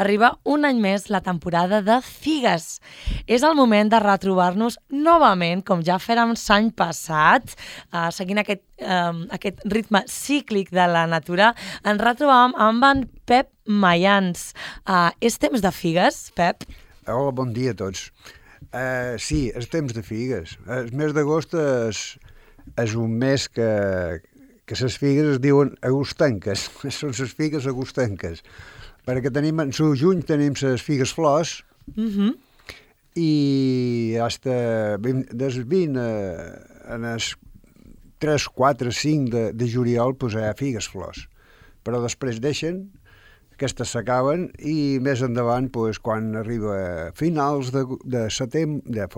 Arriba un any més la temporada de figues. És el moment de retrobar-nos novament, com ja fèrem l'any passat, seguint aquest ritme cíclic de la natura. Ens retrobàvem amb en Pep Mayans. És temps de figues, Pep? Hola, bon dia a tots. Sí, és temps de figues. El mes d'agost és un mes que les figues es diuen agostenques. Són les figues agostenques. Perquè tenim, en juny tenim les figues flors i des 20 en els 3, 4, 5 de juliol pues, hi ha figues flors. Però després deixen, aquestes s'acaben i més endavant, pues, quan arriba finals de setembre,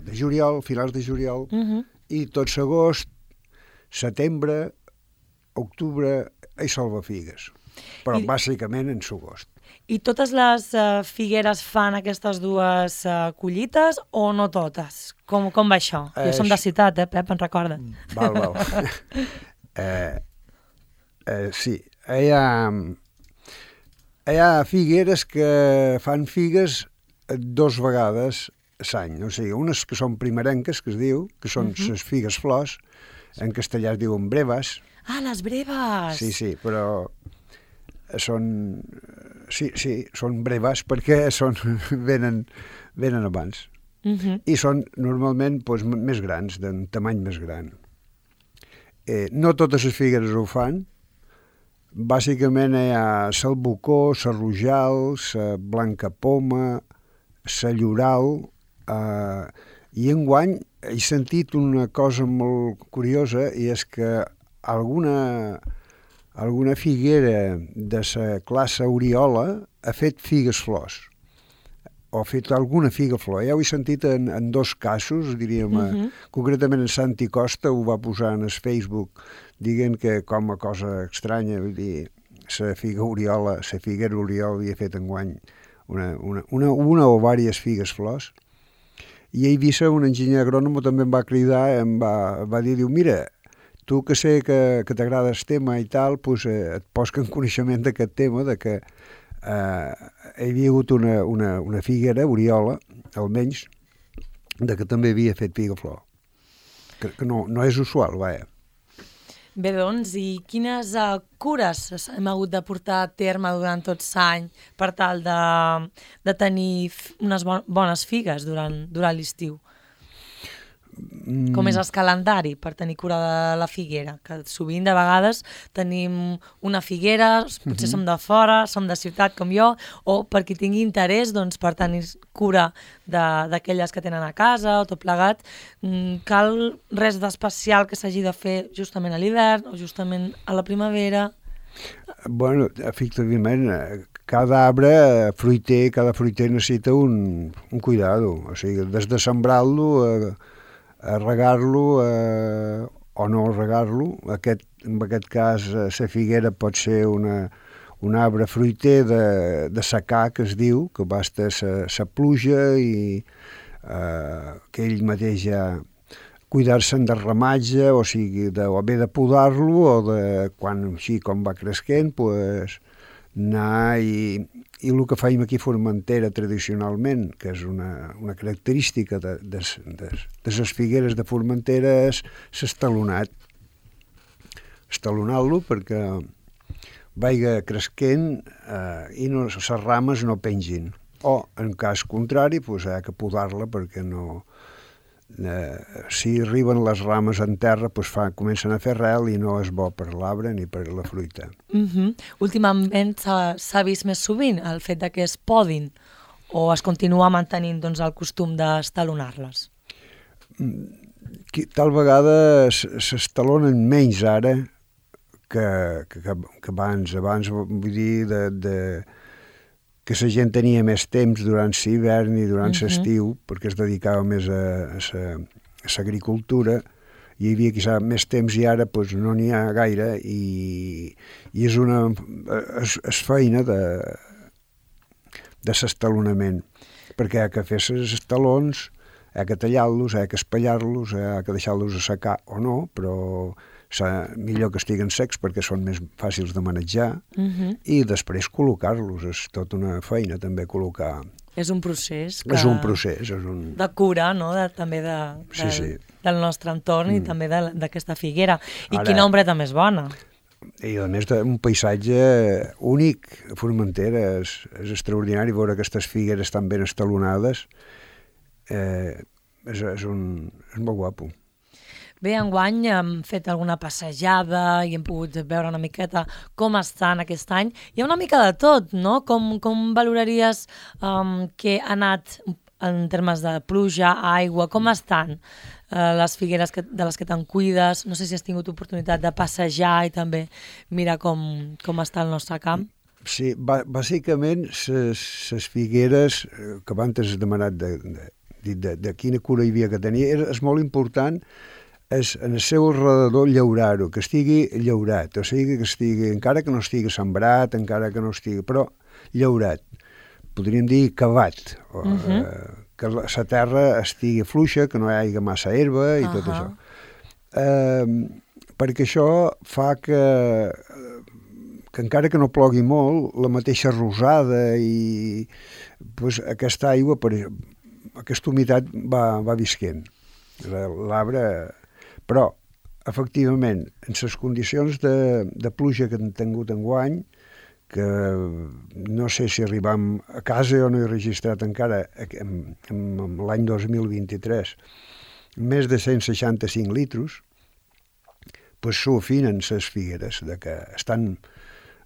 de juliol, finals de juliol, i tot l'agost, setembre, octubre, hi salva figues. Però bàsicament en l'agost. I totes les figueres fan aquestes dues collites o no totes? Com va això? Jo som de ciutat, Pep, en recorda. Val. Sí, hi ha figueres que fan figues 2 vegades l'any. O sigui, unes que són primerenques, que es diu, que són les figues flors, en castellà es diuen breves. Ah, les breves! Sí, però són breves perquè venen abans. I són normalment doncs, més grans, d'un tamany més gran. No totes les figueres ho fan. Bàsicament hi ha l'albocó, la rojal, la blanca poma, la lloral, i enguany he sentit una cosa molt curiosa i és que alguna figuera de la classe Oriola ha fet figues flors, o ha fet alguna figa flor. Ja ho he sentit en 2 casos, diríem, concretament en Santi Costa ho va posar en el Facebook, dient que com a cosa estranya, vull dir, la figuera Oriola havia fet enguany una o diverses figues flors. I a Eivissa un enginyer agrònom també em va cridar, em va dir, mira, tu que sé que t'agrada el tema i tal, doncs et poso en coneixement d'aquest tema, de que hi havia hagut una figuera, Oriola, almenys, de que també havia fet figa flor. Que no és usual, vaja. Bé, doncs, i quines cures hem hagut de portar a terme durant tot l'any per tal de tenir unes bones figues durant l'estiu? Com és el calendari per tenir cura de la figuera? Que sovint, de vegades, tenim una figuera, potser som de fora, som de ciutat com jo, o per qui tingui interès doncs, per tenir cura d'aquelles que tenen a casa o tot plegat. Cal res d'especial que s'hagi de fer justament a l'hivern o justament a la primavera? Bueno, efectivament, cada arbre fruiter, cada fruiter necessita un cuidado. O sigui, des de sembrar-lo a regar-lo o no regar-lo. En aquest cas, la figuera pot ser un arbre fruiter de secà, que es diu, que basta la pluja i que ell mateix ja cuidar-se'n del ramatge, o sigui, o bé de podar-lo o de, quan així com va creixent, pues, anar i el que fèiem aquí a Formentera tradicionalment, que és una característica de les figueres de Formentera, és l'estalonat. Estalonar-lo perquè vagi creixent i les rames no pengin. O, en cas contrari, pues, hi ha que podar-la perquè no... si arriben les rames en terra, pues, comencen a fer rel i no és bo per l'arbre ni per la fruita. Últimament s'ha vist més sovint el fet que es podin o es continua mantenint doncs, el costum d'estalonar-les? Tal vegada s'estalonen menys ara que abans. Abans, vull dir, que la gent tenia més temps durant l'hivern i durant l'estiu, perquè es dedicava més a l'agricultura, hi havia quizà més temps i ara pues, no n'hi ha gaire i és feina de l'estalonament, perquè hi ha que fer els estalons, hi ha que tallar-los, hi ha que espellar-los, hi ha que deixar-los assecar o no, però millor que estiguen secs perquè són més fàcils de manejar, i després col·locar-los. És tota una feina també col·locar. És un procés. És un procés. De cura, no? També del nostre entorn i també d'aquesta figuera. I quina ombreta més bona. I a més d'un paisatge únic a Formentera. És extraordinari veure aquestes figueres tan ben estalonades. És molt guapo. Bé, enguany hem fet alguna passejada i hem pogut veure una miqueta com estan aquest any. Hi ha una mica de tot, no? Com valoraries que ha anat en termes de pluja, aigua, com estan les figueres de les que te'n cuides? No sé si has tingut oportunitat de passejar i també mirar com està el nostre camp. Sí, bàsicament les figueres que abans has demanat de quina cura hi havia que tenir, és molt important és en el seu alrededor llaurar-ho, que estigui llaurat, o sigui que estigui, encara que no estigui sembrat, encara que no estigui, però llaurat, podríem dir cavat, que la terra estigui fluixa, que no hi hagi massa herba i tot això. Perquè això fa que encara que no plogui molt, la mateixa rosada i aquesta aigua, aquesta humitat va visquent. L'arbre... Però, efectivament, en les condicions de pluja que hem tingut enguany, que no sé si arribam a casa o no he registrat encara en l'any 2023 més de 165 litros, s'ofinen les figueres, que estan...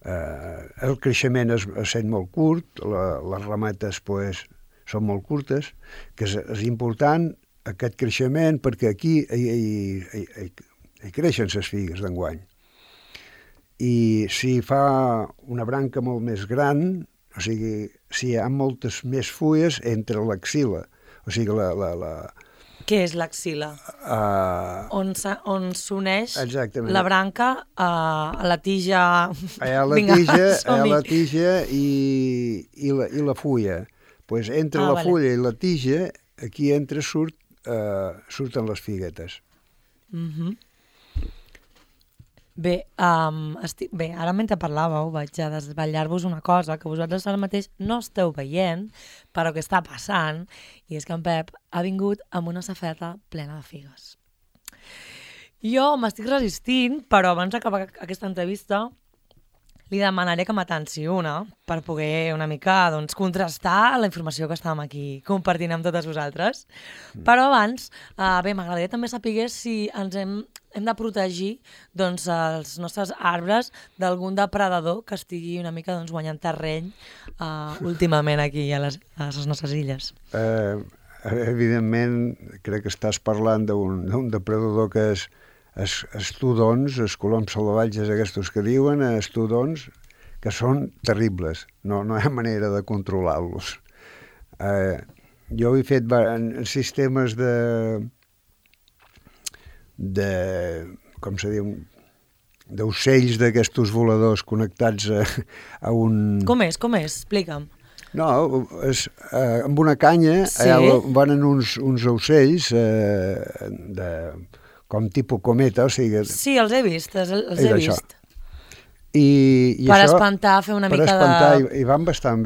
el creixement és sent molt curt, les rametes són molt curtes, que és important aquest creixement perquè aquí hi creixen les figues d'enguany. I si fa una branca molt més gran, o sigui, si hi ha moltes més fulles entre l'axil·la, o sigui, Què és l'axil·la? On s'uneix la branca a la tija... A la tija i la fulla. Entre la fulla i la tija, aquí surten les figuetes. Bé, ara mentre parlàveu vaig a desvetllar-vos una cosa que vosaltres ara mateix no esteu veient, però que està passant, i és que en Pep ha vingut amb una safeta plena de figues. Jo m'estic resistint, però abans d'acabar aquesta entrevista li demanaré que m'atanci una per poder una mica contrastar la informació que estàvem aquí compartint amb totes vosaltres. Però abans, m'agradaria també saber si ens hem de protegir els nostres arbres d'algun depredador que estigui una mica guanyant terreny últimament aquí a les nostres illes. Evidentment, crec que estàs parlant d'un depredador que és estudons, els coloms salvatges aquests que diuen, estudons, que són terribles. No hi ha manera de controlar-los. Jo he fet en sistemes com se diu, d'ocells d'aquests voladors connectats a un... Com és? Explica'm. No, amb una canya van uns ocells com tipus cometa, o sigui... Sí, els he vist, els he vist. Per espantar, fer una mica de... Per espantar, i van bastant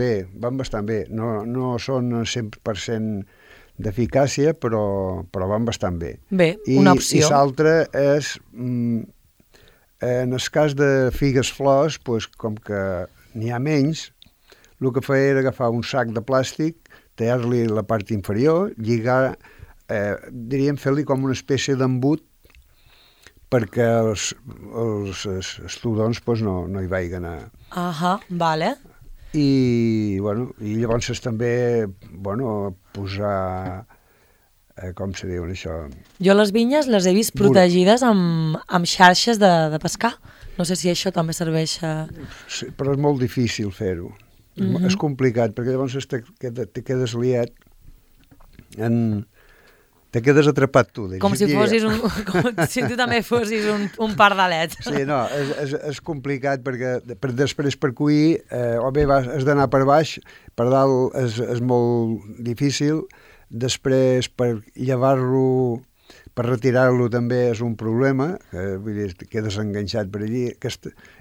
bé. No són 100% d'eficàcia, però van bastant bé. Bé, una opció. I l'altre és, en el cas de figues flors, com que n'hi ha menys, el que feia era agafar un sac de plàstic, tallar-li la part inferior, lligar, diríem fer-li com una espècie d'embut perquè els estudons no hi vagin a... Vale. I llavors també posar... com se diu això? Jo les vinyes les he vist protegides amb xarxes de pescar. No sé si això també serveix a... Sí, però és molt difícil fer-ho. És complicat, perquè llavors te quedes liat te quedes atrapat tu. Com si tu també fossis un pardalet. Sí, no, és complicat perquè després per cuir o bé has d'anar per baix, per dalt és molt difícil, després per llevar-lo per retirar-lo també és un problema, vull dir, quedes enganxat per allí.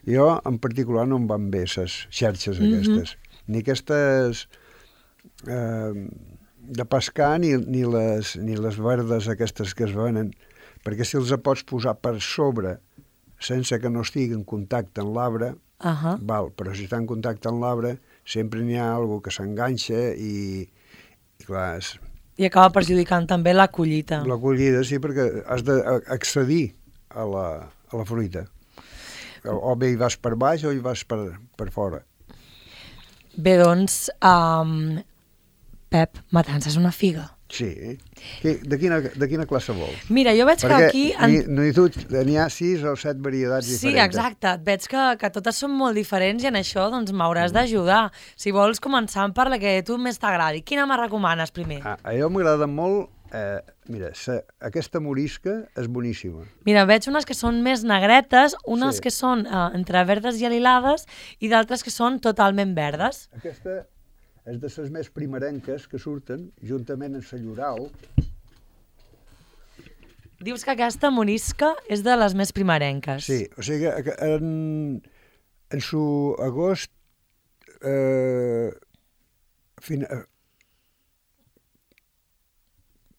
Jo, en particular, no em van bé les xarxes aquestes. Ni aquestes de pescar, ni les verdes aquestes que es venen, perquè si els pots posar per sobre sense que no estigui en contacte amb l'arbre, val, però si està en contacte amb l'arbre sempre n'hi ha alguna que s'enganxa i clar... I acaba perjudicant també la collita. La collida, sí, perquè has d'accedir a la fruita. O bé hi vas per baix o hi vas per fora. Bé, doncs, Pep, matança és una figa. Sí. De quina classe vols? Mira, jo veig que aquí... N'hi ha 6 o 7 varietats diferents. Sí, exacte. Veig que totes són molt diferents i en això doncs m'hauràs d'ajudar. Si vols, començar per la que a tu més t'agradi. Quina me recomanes primer? A jo m'agrada molt... Mira, aquesta morisca és boníssima. Mira, veig unes que són més negretes, unes que són entre verdes i alilades i d'altres que són totalment verdes. Aquesta és de les més primerenques que surten juntament amb la lloral. Dius que aquesta morisca és de les més primerenques. Sí, o sigui que en su agost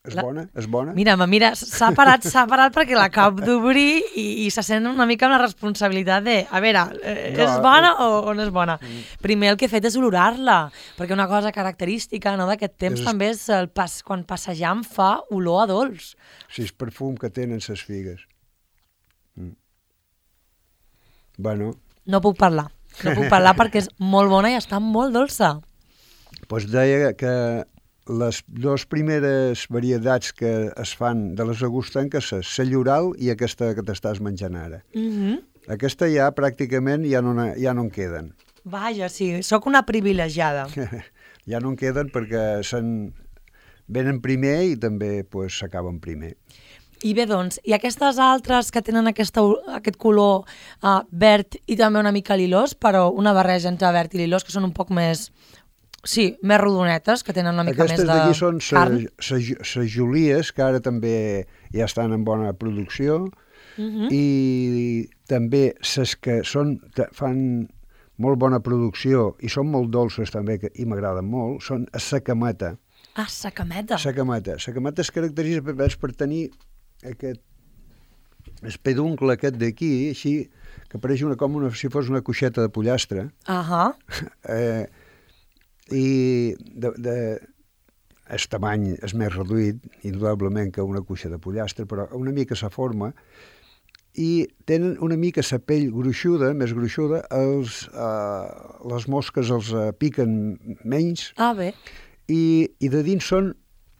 és bona? Mira, s'ha parat perquè l'acabo d'obrir i se sent una mica amb la responsabilitat de, a veure, és bona o no és bona? Primer el que he fet és olorar-la, perquè una cosa característica d'aquest temps també és quan passejam fa olor a dolç. Sí, és perfum que tenen ses figues. Bueno. No puc parlar perquè és molt bona i està molt dolça. Doncs deia que les dues primeres varietats que es fan de les agostenques és la lloral i aquesta que t'estàs menjant ara. Aquesta ja pràcticament ja no en queden. Vaja, sí, sóc una privilegiada. Ja no en queden perquè venen primer i també s'acaben primer. I bé, doncs, i aquestes altres que tenen aquest color verd i també una mica lilós, però una barreja entre verd i lilós, que són un poc més... Sí, més rodonetes, que tenen una mica més de carn. Aquestes d'aquí són les Julies, que ara també ja estan en bona producció, i també les que fan molt bona producció i són molt dolces també, i m'agraden molt, són a Sacameta. Ah, Sacameta. Sacameta es caracteritza per tenir aquest peduncle aquest d'aquí, així, que pareix com si fos una cuixeta de pollastre. I el tamany és més reduït, indudablement, que una cuixa de pollastre, però una mica la forma, i tenen una mica la pell gruixuda, més gruixuda, les mosques els piquen menys, bé. I de dins són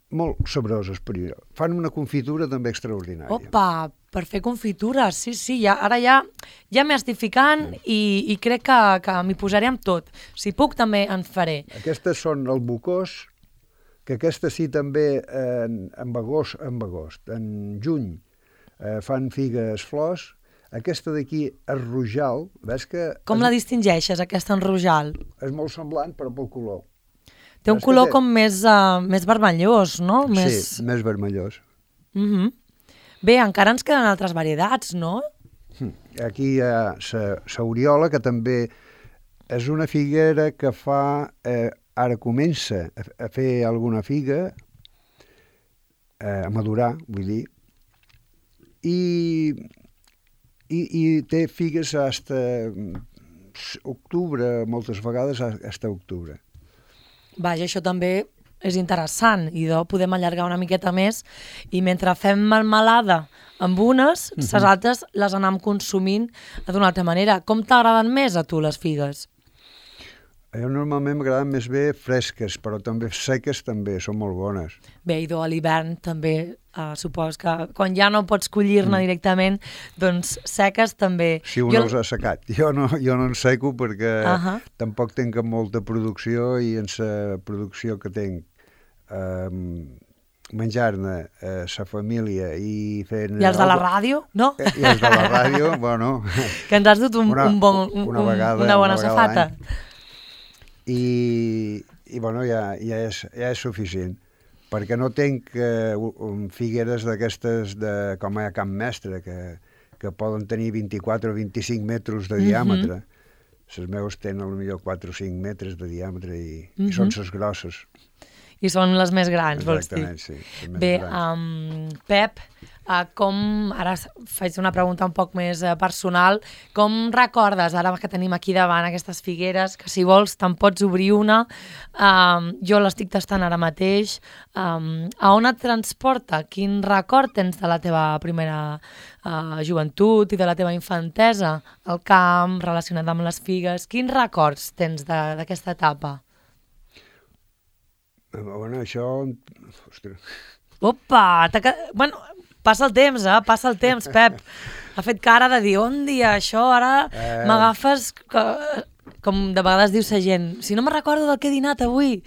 molt sabroses, però fan una confitura també extraordinària. Opa, per fer confitures, sí, ara ja m'hi estic ficant i crec que m'hi posaré amb tot. Si puc, també en faré. Aquestes són el bocós, que aquesta sí també en agost, en juny, fan figues flors. Aquesta d'aquí és rojal, ves que... Com la distingeixes, aquesta en rojal? És molt semblant, però pel color. Té un color com més vermellós, no? Sí, més vermellós. Bé, encara ens queden altres varietats, no? Aquí hi ha la oriola, que també és una figuera que fa... Ara comença a fer alguna figa, a madurar, vull dir, i té figues fins a octubre, moltes vegades fins a octubre. Vaja, això també és interessant i podem allargar una miqueta més i mentre fem melmelada amb unes, les altres les anem consumint d'una altra manera. Com t'agraden més a tu les figues? A jo normalment m'agraden més bé fresques, però també seques també, són molt bones. Bé, i a l'hivern també, supos que quan ja no pots collir-ne directament, doncs seques també... Si un els ha secat. Jo no en seco perquè tampoc tinc molta producció i en la producció que tinc menjar-ne sa família i fent... I els de la ràdio, no? I els de la ràdio, bueno... Que ens has dut una bona safata. I bueno, ja és suficient. perquè no tenc figueres d'aquestes com a Camp Mestre, que poden tenir 24 o 25 metres de diàmetre. Les meves tenen potser 4 o 5 metres de diàmetre i són les grosses. I són les més grans, vols dir? Exactament, sí. Bé, Pep, ara faig una pregunta un poc més personal, com recordes, ara que tenim aquí davant aquestes figueres, que si vols te'n pots obrir una, jo l'estic tastant ara mateix, a on et transporta? Quin record tens de la teva primera joventut i de la teva infantesa al camp, relacionat amb les figues? Quins records tens d'aquesta etapa? Bueno, això... Ostres. Opa! Bueno, passa el temps, Pep. Ha fet cara de dir, on dia això, ara m'agafes, com de vegades diu la gent, si no me recordo del que he dinat avui.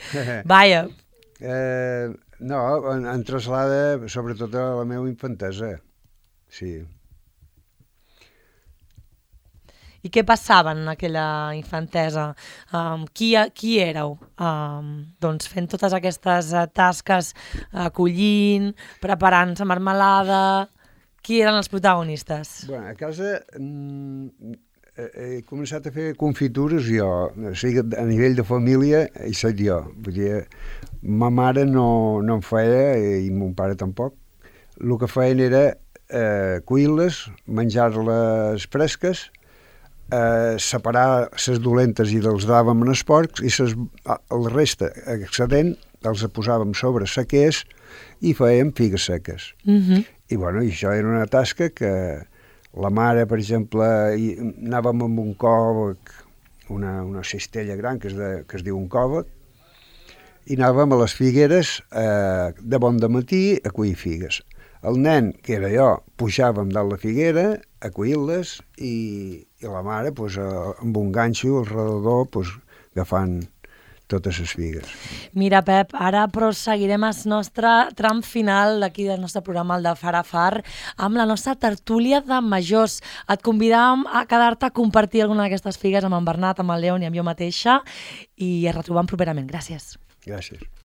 Vaja. No, em traslada sobretot a la meva infantesa, sí. I què passava en aquella infantesa? Qui éreu? Doncs fent totes aquestes tasques, collint, preparant la marmelada... Qui eren els protagonistes? Bueno, a casa he començat a fer confitures jo, o sigui, a nivell de família hi soc jo. Vull dir, ma mare no en feia i mon pare tampoc. El que feien era cuir-les, menjar-les fresques, separar les dolentes i els dàvem als porcs i el reste excedent els posàvem sobre sequers i fèiem figues seques. I bueno, això era una tasca que la mare, per exemple, anàvem amb un còvec, una cistella gran que es diu un còvec, i anàvem a les figueres de bon dematí a cuir figues. El nen, que era jo, pujàvem dalt la figuera a cuir-les i la mare, amb un ganxo al redador, agafant totes les figues. Mira, Pep, ara proseguirem el nostre tram final d'aquí del nostre programa, el de Far a Far, amb la nostra tertúlia de majors. Et convidàvem a quedar-te a compartir alguna d'aquestes figues amb en Bernat, amb el Leon i amb jo mateixa, i es retrobam properament. Gràcies. Gràcies.